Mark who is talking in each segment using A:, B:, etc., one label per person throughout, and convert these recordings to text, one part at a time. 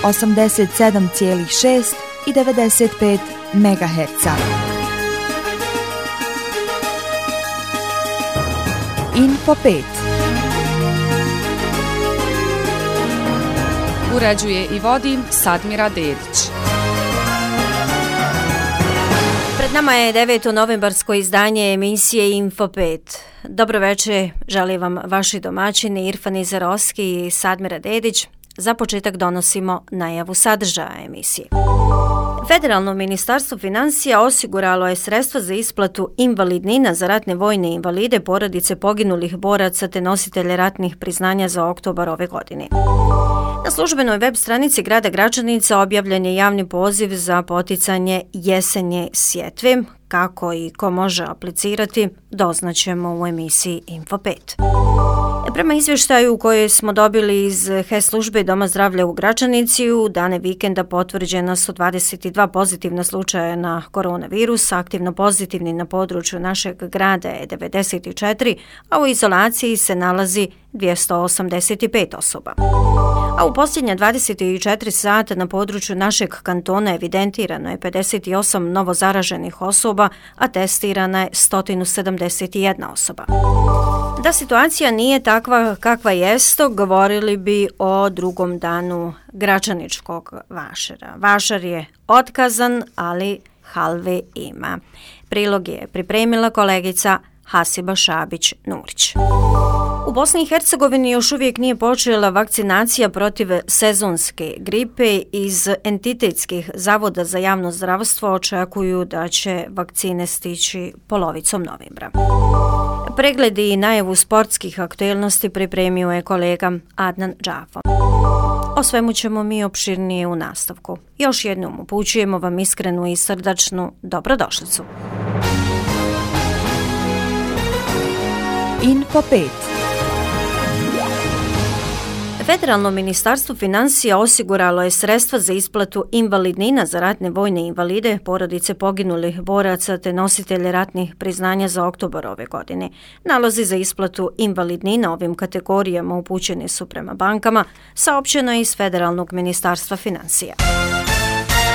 A: 87,6 i 95 MHz. Info 5.
B: Uređuje i vodi Sadmira Dedić.
C: Pred nama je 9. novembarsko izdanje emisije Info 5. Dobro večer, želim vam vaši domaćini Irfan Izarovski i Sadmira Dedić. Za početak donosimo najavu sadržaja emisije. Federalno ministarstvo financija osiguralo je sredstva za isplatu invalidnina za ratne vojne invalide, porodice poginulih boraca te nositelje ratnih priznanja za oktobar ove godine. Na službenoj web stranici grada Gračanica objavljen je javni poziv za poticanje jesenje sjetve. Kako i ko može aplicirati, doznaćemo u emisiji Info 5. Prema izvještaju koje smo dobili iz HES službe Doma zdravlja u Gračanici, u dane vikenda potvrđena su 22 pozitivna slučaja na koronavirus, aktivno pozitivni na području našeg grada je 94, a u izolaciji se nalazi 285 osoba. A u posljednja 24 sata na području našeg kantona evidentirano je 58 novo zaraženih osoba, a testirana je 171 osoba. Da situacija nije takva kakva jest, govorili bi o drugom danu gračaničkog vašara. Vašar je otkazan, ali halve ima. Prilog je pripremila kolegica Hasiba Šabić-Nurić. U Bosni i Hercegovini još uvijek nije počela vakcinacija protiv sezonske gripe. Iz entitetskih zavoda za javno zdravstvo očekuju da će vakcine stići polovicom novembra. Pregledi i najavu sportskih aktuelnosti pripremio je kolega Adnan Džafo. O svemu ćemo mi opširnije u nastavku. Još jednom upućujemo vam iskrenu i srdačnu dobrodošlicu.
A: Info 5.
C: Federalno ministarstvo financija osiguralo je sredstva za isplatu invalidnina za ratne vojne invalide, porodice poginulih boraca te nositelje ratnih priznanja za oktobar ove godine. Nalozi za isplatu invalidnina ovim kategorijama upućeni su prema bankama, saopćeno je iz Federalnog ministarstva financija.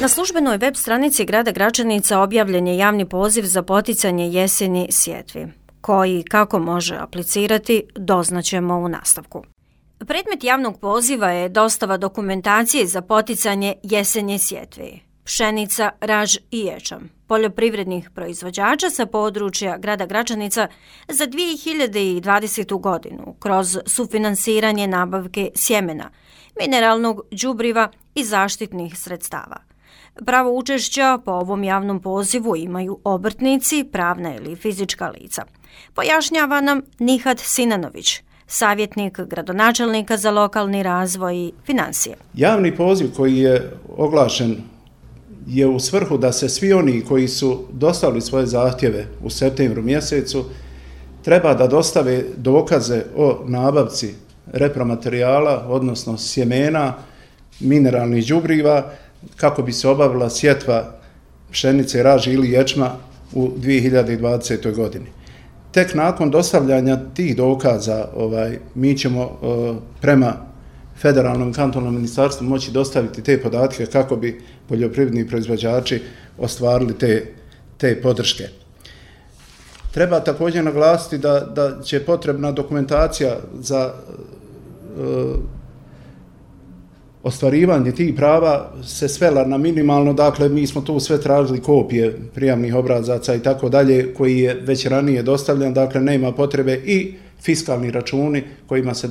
C: Na službenoj web stranici grada Gračanica objavljen je javni poziv za poticanje jeseni sjetvi. Koji i kako može aplicirati, doznaćemo u nastavku. Predmet javnog poziva je dostava dokumentacije za poticanje jesenje sjetve. Pšenica, raž i ječam poljoprivrednih proizvođača sa područja grada Gračanica za 2020. godinu kroz sufinansiranje nabavke sjemena, mineralnog đubriva i zaštitnih sredstava. Pravo učešća po ovom javnom pozivu imaju obrtnici, pravna ili fizička lica. Pojašnjava nam Nihat Sinanović, savjetnik gradonačelnika za lokalni razvoj i financije.
D: Javni poziv koji je oglašen je u svrhu da se svi oni koji su dostavili svoje zahtjeve u septembru mjesecu treba da dostave dokaze o nabavci repromaterijala, odnosno sjemena, mineralnih đubriva, kako bi se obavila sjetva pšenice, raži ili ječma u 2020. godini. Tek nakon dostavljanja tih dokaza mi ćemo prema federalnom kantonalnom ministarstvu moći dostaviti te podatke kako bi poljoprivredni proizvođači ostvarili te podrške. Treba također naglasiti da će potrebna dokumentacija za ostvarivanje tih prava se svela na minimalno, dakle mi smo tu sve tražili kopije prijavnih obrazaca i tako dalje koji je već ranije dostavljen, dakle nema potrebe i fiskalni računi kojima se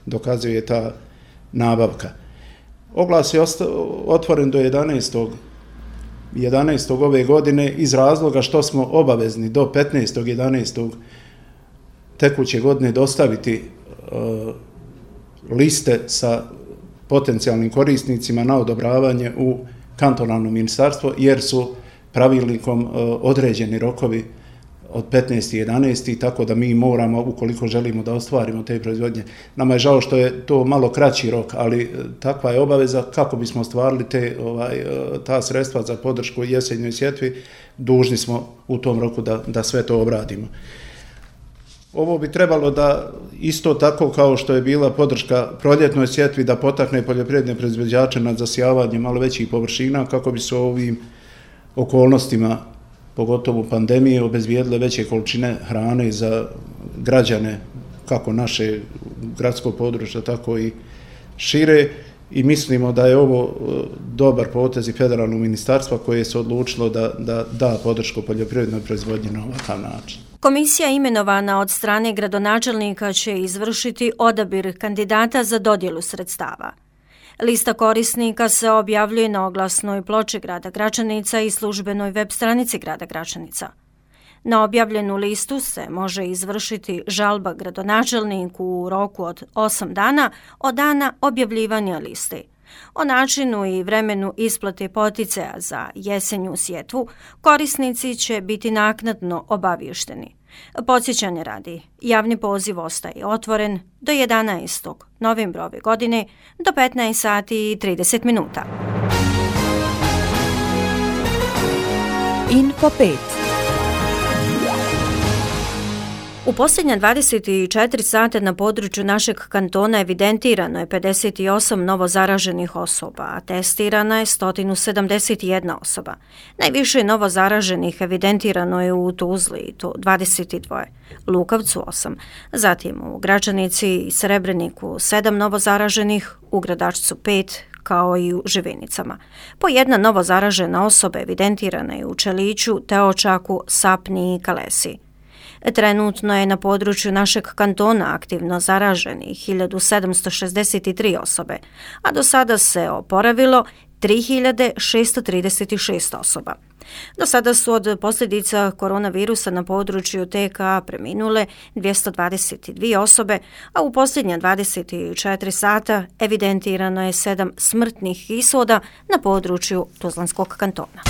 D: dokazuje ta nabavka. Oglas je otvoren do 11. ove godine iz razloga što smo obavezni do 15.11. tekuće godine dostaviti liste sa potencijalnim korisnicima na odobravanje u kantonalno ministarstvo, jer su pravilnikom određeni rokovi od 15.11. tako da mi moramo, ukoliko želimo da ostvarimo te proizvodnje. Nama je žao što je to malo kraći rok, ali takva je obaveza kako bismo ostvarili ta sredstva za podršku jesenjoj sjetvi, dužni smo u tom roku da sve to obradimo. Ovo bi trebalo da isto tako kao što je bila podrška proljetnoj sjetvi da potakne poljoprivredne proizvođače na zasijavanje malo većih površina kako bi se ovim okolnostima, pogotovo pandemije, obezbijedile veće količine hrane za građane kako naše gradskog područja, tako i šire. I mislimo da je ovo dobar potez i federalnog ministarstva koje se odlučilo da podršku poljoprivrednoj proizvodnji na ovakav način.
C: Komisija imenovana od strane gradonačelnika će izvršiti odabir kandidata za dodjelu sredstava. Lista korisnika se objavljuje na oglasnoj ploči grada Gračanica i službenoj web stranici grada Gračanica. Na objavljenu listu se može izvršiti žalba gradonačelniku u roku od 8 dana od dana objavljivanja liste. O načinu i vremenu isplate poticaja za jesenju sjetvu korisnici će biti naknadno obavješteni. Podsjećanje radi, javni poziv ostaje otvoren do 11. novembra ove godine do 15 sati i 30 minuta.
A: Info 5.
C: U posljednja 24 sata na području našeg kantona evidentirano je 58 novo zaraženih osoba, a testirana je 171 osoba. Najviše novo zaraženih evidentirano je u Tuzli i to 22, Lukavcu 8, zatim u Gračanici i Srebreniku 7 novo zaraženih, u Gradačcu 5, kao i u Živinicama. Po jedna novo zaražena osoba evidentirana je u Čeliću, Teočaku, Sapni i Kalesi. Trenutno je na području našeg kantona aktivno zaraženih 1763 osobe, a do sada se oporavilo 3636 osoba. Do sada su od posljedica koronavirusa na području TK preminule 222 osobe, a u posljednja 24 sata evidentirano je 7 smrtnih ishoda na području Tuzlanskog kantona.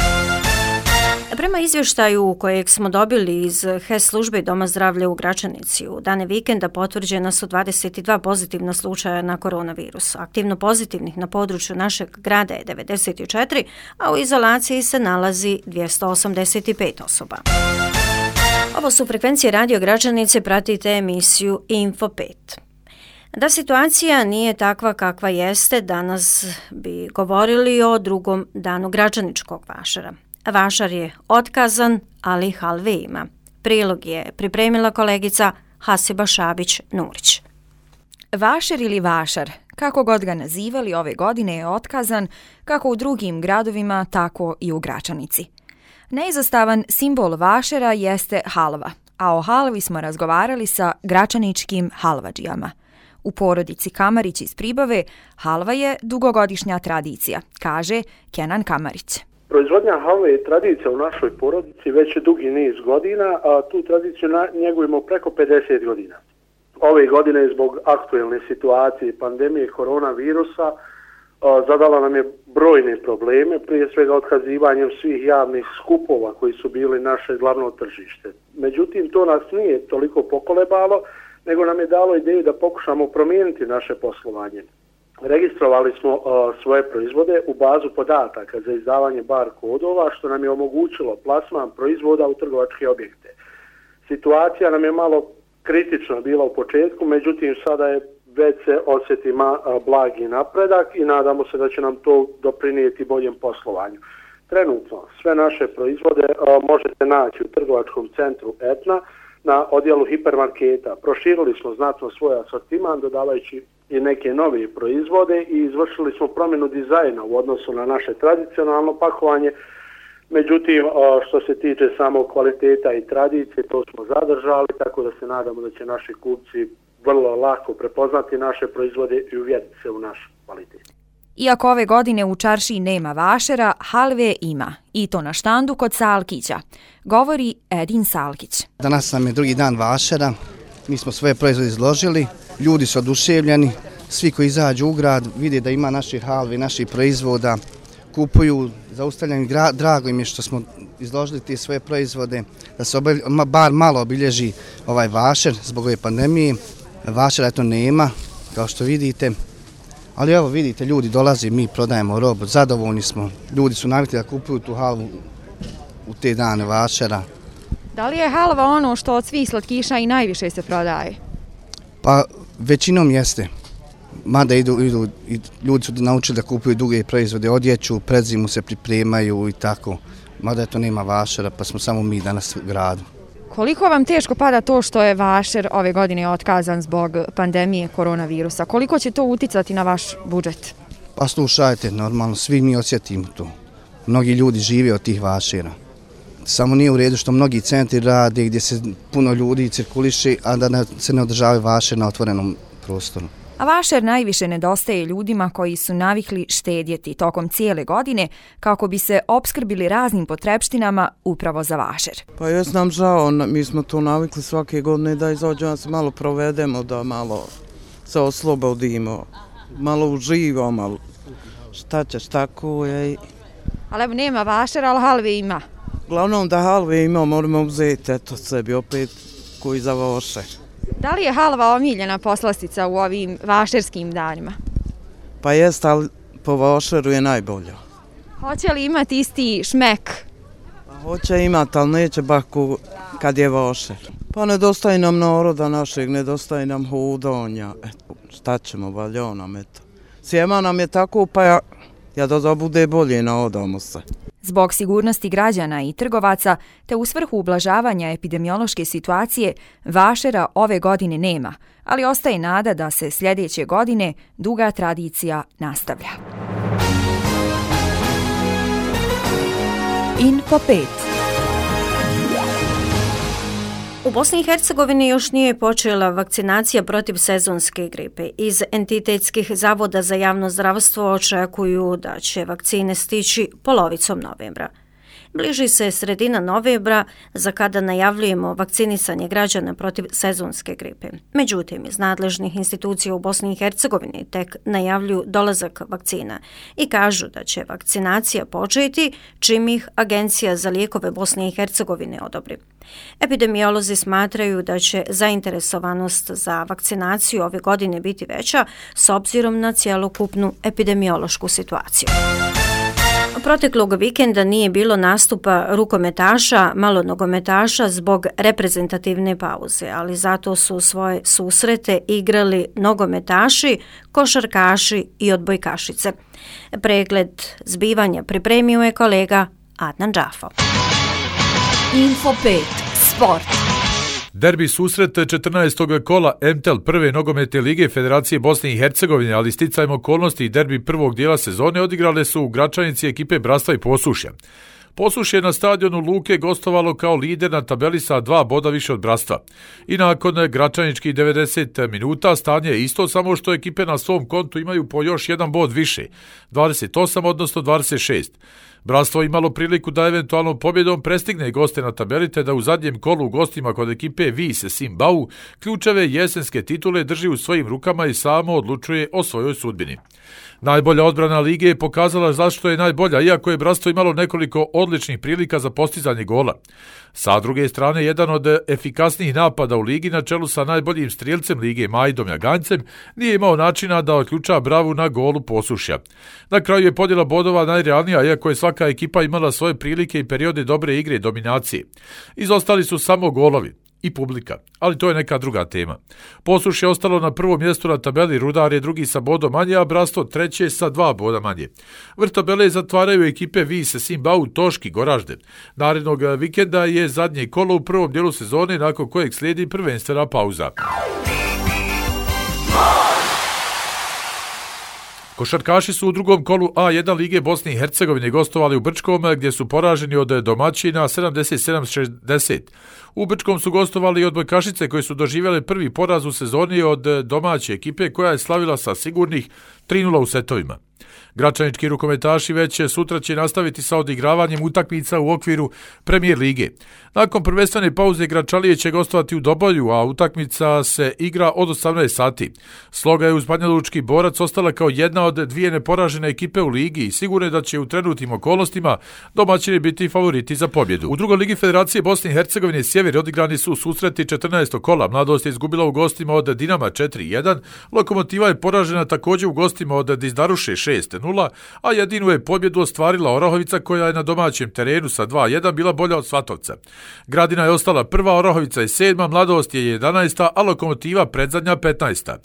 C: Prema izvještaju kojeg smo dobili iz HES službe Doma zdravlja u Gračanici, u dane vikenda potvrđena su 22 pozitivna slučaja na koronavirus. Aktivno pozitivnih na području našeg grada je 94, a u izolaciji se nalazi 285 osoba. Ovo su frekvencije Radio Gračanice, pratite emisiju Info 5. Da situacija nije takva kakva jeste, danas bi govorili o drugom danu gračaničkog vašara. Vašar je otkazan, ali halve ima. Prilog je pripremila kolegica Hasiba Šabić-Nurić.
E: Vašar ili vašar, kako god ga nazivali, ove godine je otkazan kako u drugim gradovima, tako i u Gračanici. Neizostavan simbol vašara jeste halva, a o halvi smo razgovarali sa gračaničkim halvadžijama. U porodici Kamarić iz Pribave halva je dugogodišnja tradicija, kaže Kenan Kamarić.
F: Proizvodnja halve je tradicija u našoj porodici već dugi niz godina, a tu tradiciju njegujemo preko 50 godina. Ove godine zbog aktuelne situacije i pandemije koronavirusa zadala nam je brojne probleme, prije svega otkazivanjem svih javnih skupova koji su bili naše glavno tržište. Međutim, to nas nije toliko pokolebalo, nego nam je dalo ideju da pokušamo promijeniti naše poslovanje. Registrovali smo svoje proizvode u bazu podataka za izdavanje bar kodova, što nam je omogućilo plasman proizvoda u trgovačke objekte. Situacija nam je malo kritična bila u početku, međutim sada je već se osjeti blagi napredak i nadamo se da će nam to doprinijeti boljem poslovanju. Trenutno sve naše proizvode možete naći u trgovačkom centru Etna na odjelu hipermarketa. Proširili smo znatno svoj asortiman dodavajući i neke nove proizvode i izvršili smo promjenu dizajna u odnosu na naše tradicionalno pakovanje. Međutim, što se tiče samog kvaliteta i tradicije, to smo zadržali, tako da se nadamo da će naši kupci vrlo lako prepoznati naše proizvode i uvjeriti se u naš kvalitet.
E: Iako ove godine u čaršiji nema vašara, halve ima, i to na štandu kod Salkića, govori Edin Salkić.
G: Danas nam je drugi dan vašara, mi smo svoje proizvode izložili, ljudi su oduševljeni, svi koji izađu u grad vide da ima naših halvi, naših proizvoda, kupuju, zaustavljaju, drago im je što smo izložili te svoje proizvode, da se bar malo obilježi ovaj vašar zbog ove pandemije. Vašara eto nema, kao što vidite, ali evo vidite, ljudi dolaze, mi prodajemo robu, zadovoljni smo, ljudi su navikli da kupuju tu halvu u te dane vašara.
E: Da li je halva ono što od svih slatkiša i najviše se prodaje?
G: Pa većinom jeste. Mada ljudi su naučili da kupuju druge proizvode, odjeću, pred zimu se pripremaju i tako. Mada to nema vašara, pa smo samo mi danas u gradu.
E: Koliko vam teško pada to što je vašer ove godine otkazan zbog pandemije koronavirusa? Koliko će to uticati na vaš budžet?
G: Pa slušajte, normalno, svi mi osjetimo to. Mnogi ljudi žive od tih vašera. Samo nije u redu što mnogi centri rade gdje se puno ljudi cirkuliše, a da se ne održavaju vašer na otvorenom prostoru.
E: A vašer najviše nedostaje ljudima koji su navikli štedjeti tokom cijele godine kako bi se opskrbili raznim potrepštinama upravo za vašer.
H: Pa jes nam žao, mi smo to navikli svake godine da izađemo, da se malo provedemo, da malo se oslobodimo, malo uživamo, ali šta ćeš, tako je.
E: Ali evo nema vašera, ali halve ima.
H: Uglavnom da halve ima, moramo uzeti eto sebi opet koji za vašer.
E: Da li je halva omiljena poslastica u ovim vašerskim danima?
H: Pa jest, ali po vašeru je najbolja.
E: Hoće li imati isti šmek?
H: Pa hoće imati, ali neće baš kad je vašer. Pa nedostaje nam naroda našeg, nedostaje nam hodanja. Eto, šta ćemo, valja nam, eto. Sjema nam je tako, pa ja da bude bolje, naodamo se.
E: Zbog sigurnosti građana i trgovaca, te u svrhu ublažavanja epidemiološke situacije, vašera ove godine nema, ali ostaje nada da se sljedeće godine duga tradicija nastavlja.
A: Info 5.
C: U Bosni i Hercegovini još nije počela vakcinacija protiv sezonske gripe. Iz entitetskih zavoda za javno zdravstvo očekuju da će vakcine stići polovicom novembra. Bliži se sredina novembra, za kada najavljujemo vakcinisanje građana protiv sezonske gripe. Međutim, iz nadležnih institucija u Bosni i Hercegovini tek najavljuju dolazak vakcina i kažu da će vakcinacija početi čim ih Agencija za lijekove Bosne i Hercegovine odobri. Epidemiolozi smatraju da će zainteresovanost za vakcinaciju ove godine biti veća s obzirom na cjelokupnu epidemiološku situaciju. Proteklog vikenda nije bilo nastupa rukometaša, malonogometaša zbog reprezentativne pauze, ali zato su svoje susrete igrali nogometaši, košarkaši i odbojkašice. Pregled zbivanja pripremio je kolega Adnan Džafo.
A: Info 5. Sport.
I: Derbi susret 14. kola MTEL prve nogometne lige Federacije Bosne i Hercegovine, ali sticajem okolnosti i derbi prvog dijela sezone odigrale su u Gračanici ekipe Bratstva i Posušja. Posušje je na stadionu Luke gostovalo kao lider na tabeli sa 2 boda više od Bratstva. I nakon gračaničkih 90 minuta stanje je isto, samo što ekipe na svom kontu imaju po još 1 bod više, 28 odnosno 26. Bratstvo imalo priliku da eventualnom pobjedom prestigne goste na tabeli, te da u zadnjem kolu u gostima kod ekipe Vise Simbau ključeve jesenske titule drži u svojim rukama i samo odlučuje o svojoj sudbini. Najbolja odbrana lige je pokazala zašto je najbolja, iako je Bratstvo imalo nekoliko odličnih prilika za postizanje gola. Sa druge strane, jedan od efikasnijih napada u ligi na čelu sa najboljim strijelcem lige Majdom Jagancem nije imao načina da otključa bravu na golu Posušja. Na kraju je podjela bodova najrealnija, iako je svaka ekipa imala svoje prilike i periode dobre igre i dominacije. Izostali su samo golovi i publika, ali to je neka druga tema. Posušje je ostalo na prvom mjestu na tabeli, Rudar je drugi sa bodom manje, a Bratstvo treće sa 2 boda manje. Vrh tabele zatvaraju ekipe Vise Simbau, Toški, Goražde. Narednog vikenda je zadnje kolo u prvom dijelu sezone, nakon kojeg slijedi prvenstvena pauza. Košarkaši su u drugom kolu A1 lige Bosne i Hercegovine gostovali u Brčkom, gdje su poraženi od domaćina 77-60. U Brčkom su gostovali i odbojkašice koje su doživjele prvi poraz u sezoni od domaće ekipe koja je slavila sa sigurnih 3-0 u setovima. Gračanički rukometaši već sutra će nastaviti sa odigravanjem utakmica u okviru Premijer lige. Nakon prvenstvene pauze Gračalije će gostovati u Dobolju, a utakmica se igra od 18 sati. Sloga je uz Banjalučki Borac ostala kao jedna od 2 neporažene ekipe u ligi i sigurno je da će u trenutnim okolnostima domaćini biti favoriti za pobjedu. U drugoj ligi Federacije Bosne i Hercegovine Sjever odigrani su susreti 14. kola. Mladost je izgubila u gostima od Dinama 4-1, Lokomotiva je poražena također u gostima od Dizdaruše 6-0, a jedinu je pobjedu ostvarila Orahovica koja je na domaćem terenu sa 2-1 bila bolja od Svatovca. Gradina je ostala prva, Orahovica je 7, Mladost je 11, a Lokomotiva predzadnja 15.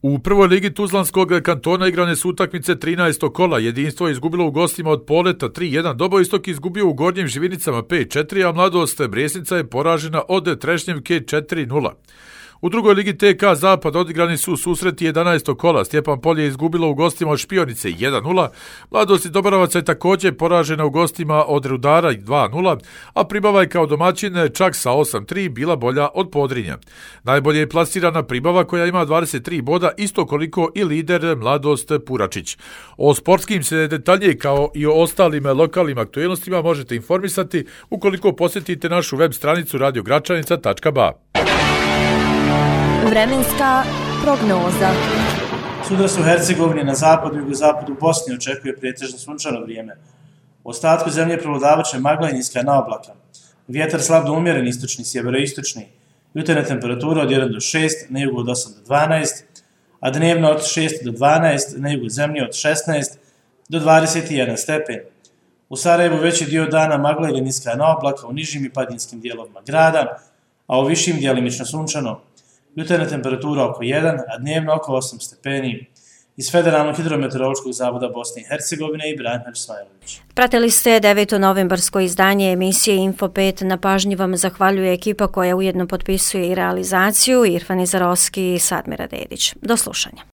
I: U prvoj ligi Tuzlanskog kantona igrane su utakmice 13. kola. Jedinstvo je izgubilo u gostima od Poleta 3-1, Dobojistok izgubio u Gornjim Živinicama 5-4, a Mladost Brijesnica je poražena od Trešnjevke 4-0. U drugoj ligi TK Zapad odigrani su susreti 11. kola. Stjepan Polje je izgubilo u gostima od Špionice 1-0, Mladost iz Dobrovaca je također poražena u gostima od Rudara 2-0, a Pribava je kao domaćin čak sa 8-3 bila bolja od Podrinja. Najbolje je plasirana Pribava koja ima 23 boda, isto koliko i lider Mladost Puračić. O sportskim se detaljnije kao i o ostalim lokalnim aktualnostima možete informisati ukoliko posjetite našu web stranicu radiogračanica.ba.
E: Vremenska prognoza.
J: Sutra u Hercegovini, na zapadu i jugozapadu Bosni očekuje pretežno sunčano vrijeme. U ostatku zemlje prevladavaće magla i niska naoblaka. Vjetar slab do umjeren istočni, sjeveroistočni. Jutarnja temperatura od 1 do 6, na jugu od 8 do 12, a dnevno od 6 do 12, na jugu zemlje od 16 do 21 stepen. U Sarajevu veći dio dana magla ili niska naoblaka u nižim i padinskim dijelovima grada, a u višim djelimično sunčano. Jutarnja temperatura oko 1, a dnevno oko 8 stepeni. Iz Federalnog hidrometeorološkog zavoda Bosne i Hercegovine i Branimir Smajlović.
C: Pratili ste 9. novembarsko izdanje emisije Info 5. Na pažnji vam zahvaljuje ekipa koja ujedno potpisuje i realizaciju, Irfan Izarovski i Sadmira Dedić. Do slušanja.